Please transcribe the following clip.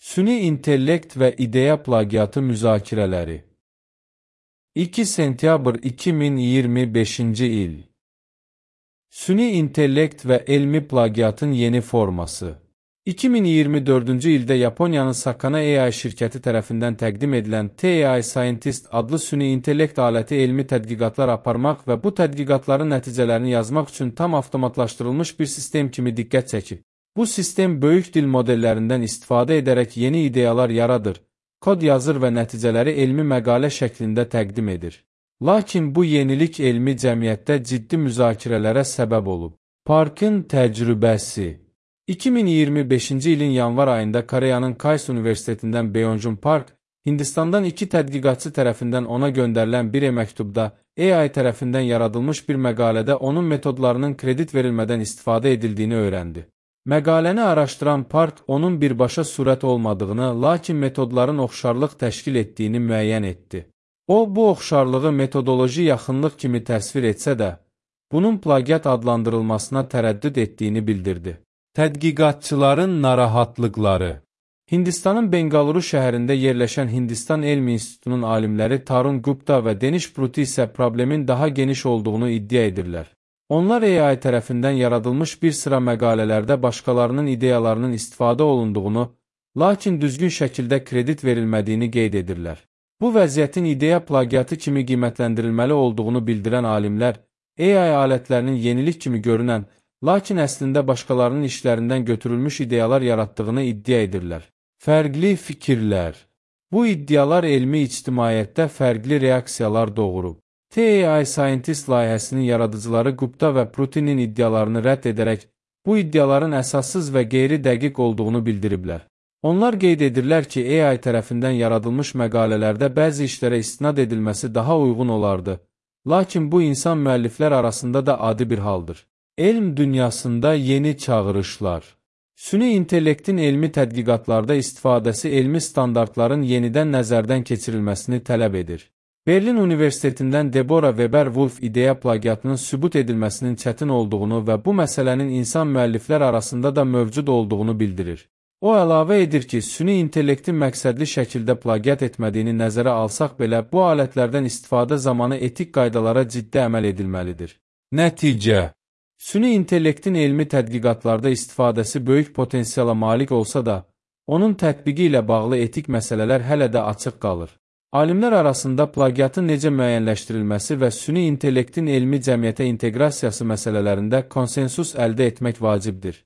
Süni intellekt və ideya plagiatı müzakirələri 2 sentyabr 2025-ci il Süni intellekt və elmi plagiatın yeni forması 2024-cü ildə Yaponiyanın Sakana AI şirkəti tərəfindən təqdim edilən TAI Scientist adlı süni intellekt aləti elmi tədqiqatlar aparmaq və bu tədqiqatların nəticələrini yazmaq üçün tam avtomatlaşdırılmış bir sistem kimi diqqət çəkir. Bu sistem böyük dil modellərindən istifadə edərək yeni ideyalar yaradır, kod yazır və nəticələri elmi məqalə şəklində təqdim edir. Lakin bu yenilik elmi cəmiyyətdə ciddi müzakirələrə səbəb olub. Parkın təcrübəsi 2025-ci ilin yanvar ayında Koreyanın Kayse Universitetindən Byung-Jun Park, Hindistandan 2 tədqiqatçı tərəfindən ona göndərilən bir məktubda AI tərəfindən yaradılmış bir məqalədə onun metodlarının kredit verilmədən istifadə edildiyini öyrəndi. Məqaləni araşdıran Park onun birbaşa surət olmadığını, lakin metodların oxşarlıq təşkil etdiyini müəyyən etdi. O, bu oxşarlığı metodoloji yaxınlıq kimi təsvir etsə də, bunun plagiat adlandırılmasına tərəddüd etdiyini bildirdi. Tədqiqatçıların narahatlıqları Hindistanın Bengaluru şəhərində yerləşən Hindistan Elmi İnstitutunun alimləri Tarun Gupta və Denish Pruthi isə problemin daha geniş olduğunu iddia edirlər. Onlar AI tərəfindən yaradılmış bir sıra məqalələrdə başqalarının ideyalarının istifadə olunduğunu, lakin düzgün şəkildə kredit verilmədiyini qeyd edirlər. Bu vəziyyətin ideya plagiatı kimi qiymətləndirilməli olduğunu bildirən alimlər, AI alətlərinin yenilik kimi görünən, lakin əslində başqalarının işlərindən götürülmüş ideyalar yaratdığını iddia edirlər. Fərqli fikirlər Bu iddialar elmi ictimaiyyətdə fərqli reaksiyalar doğurub. TAI Scientist layihəsinin yaradıcıları Gupta və Pruthi'nin iddialarını rədd edərək, bu iddiaların əsassız və qeyri-dəqiq olduğunu bildiriblər. Onlar qeyd edirlər ki, AI tərəfindən yaradılmış məqalələrdə bəzi işlərə istinad edilməsi daha uyğun olardı, lakin bu insan müəlliflər arasında da adi bir haldır. Elm dünyasında yeni çağırışlar Süni intellektin elmi tədqiqatlarda istifadəsi elmi standartların yenidən nəzərdən keçirilməsini tələb edir. Berlin Universitetindən Deborah Weber-Wolf ideya plagiatının sübut edilməsinin çətin olduğunu və bu məsələnin insan müəlliflər arasında da mövcud olduğunu bildirir. O əlavə edir ki, süni intellektin məqsədli şəkildə plagiat etmədiyini nəzərə alsaq belə, bu alətlərdən istifadə zamanı etik qaydalara ciddi əməl edilməlidir. Nəticə Süni intellektin elmi tədqiqatlarda istifadəsi böyük potensiala malik olsa da, onun tətbiqi ilə bağlı etik məsələlər hələ də açıq qalır. Alimlər arasında plagiatın necə müəyyənləşdirilməsi və süni intellektin elmi cəmiyyətə inteqrasiyası məsələlərində konsensus əldə etmək vacibdir.